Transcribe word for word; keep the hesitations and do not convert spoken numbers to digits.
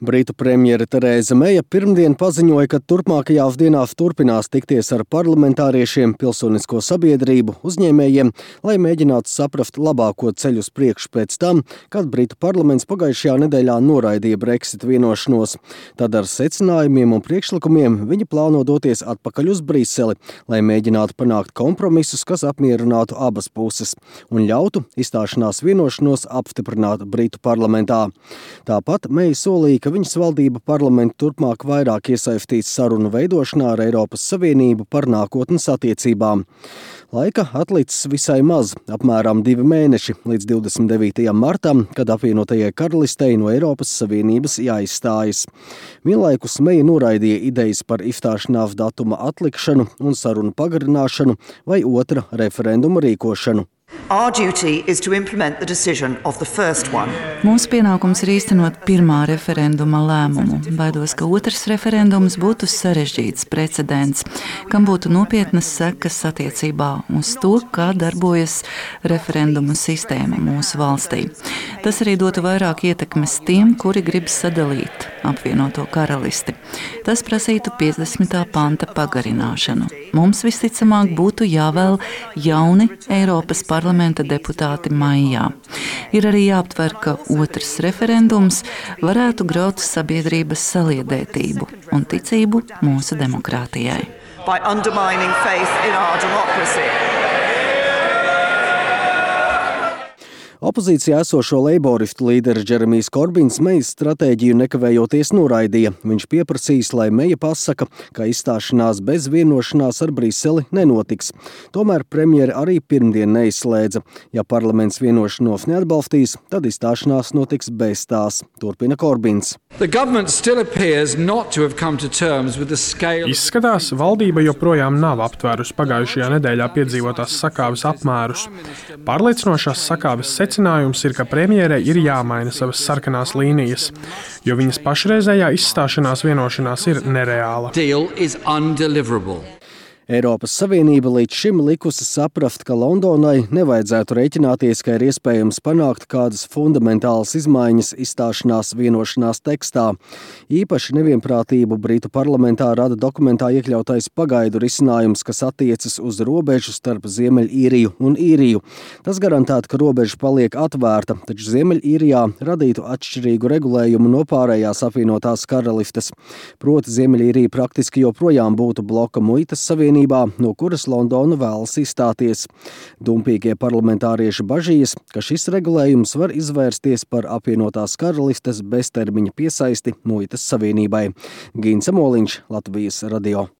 Britu premjere Terēza Meja pirmdien paziņoja, ka turpmākajās dienās turpinās tikties ar parlamentāriešiem, pilsonisko sabiedrību, uzņēmējiem, lai mēģinātu saprast labāko ceļu uz priekšu pēc tam, kad Britu parlaments pagājušajā nedēļā noraidīja Brexit vienošanos. Tad ar secinājumiem un priekšlikumiem viņi plāno doties atpakaļ uz Briseli, lai mēģinātu panākt kompromisus, kas apmierinātu abas puses un ļautu izstāšanās vienošanos apstiprināt Britu parlamentā. Tāpat Meja solīja, ka viņas valdība parlamentu turpmāk vairāk iesaistīs sarunu veidošanā ar Eiropas Savienību par nākotnes attiecībām. Laika atlicis visai maz, apmēram divi mēneši līdz divdesmit devītajam martam, kad apvienotajai karalistei no Eiropas Savienības jāizstājas. Vienlaikus Meja noraidīja idejas par izstāšanās datuma atlikšanu un sarunu pagarināšanu vai otra referenduma rīkošanu. Our duty is to implement the decision of the first one. Mūsu pienākums ir īstenot pirmā referenduma lēmumu. Baidos, ka otrs referendums būtu sarežģīts precedents, kam būtu nopietnas sekas attiecībā uz to, kā darbojas referenduma sistēma mūsu valstī. Tas arī dotu vairāk ietekmes tiem, kuri grib sadalīt apvienoto karalisti. Tas prasītu piecdesmitā panta pagarināšanu. Mums visticamāk būtu jāvēl jauni Eiropas parlamenta deputāti maijā. Ir arī jāaptver, ka otrs referendums varētu graut sabiedrības saliedētību un ticību mūsu demokrātijai. By undermining faith in our democracy. Opozīcijā esošo leiboristu līderis Džeremijs Korbins Mejas stratēģiju nekavējoties noraidīja. Viņš pieprasīs, lai Meja pasaka, ka izstāšanās bez vienošanās ar Briseli nenotiks. Tomēr premjere arī pirmdien neizslēdza. Ja parlaments vienošanos neatbalstīs, tad izstāšanās notiks bez tās, turpina Korbins. Izskatās, valdība joprojām nav aptvērusi pagājušajā nedēļā piedzīvotās sakāves apmērus. Pārliecinošās sakāves secinājums ir, ka premjerei ir jāmaina savas sarkanās līnijas, jo viņas pašreizējā izstāšanās vienošanās ir nereāla. Eiropas Savienība līdz šim likusi saprast, ka Londonai nevajadzētu rēķināties, ka ir iespējams panākt kādas fundamentālas izmaiņas izstāšanās vienošanās tekstā. Īpaši nevienprātību Britu parlamentā rada dokumentā iekļautais pagaidu risinājums, kas attiecas uz robežu starp Ziemeļīriju un Īriju. Tas garantētu, ka robeža paliek atvērta, taču Ziemeļīrijā radītu atšķirīgu regulējumu no pārējās apvienotās karalistes. Proti Ziemeļīrija praktiski joprojām būtu bloka muitas savienība, no kuras Londona vēlas izstāties. Dumpīgie parlamentārieši bažījas, ka šis regulējums var izvērsties par apvienotās karalistes beztermiņa piesaisti muitas savienībai. Gins Amoliņš, Latvijas radio.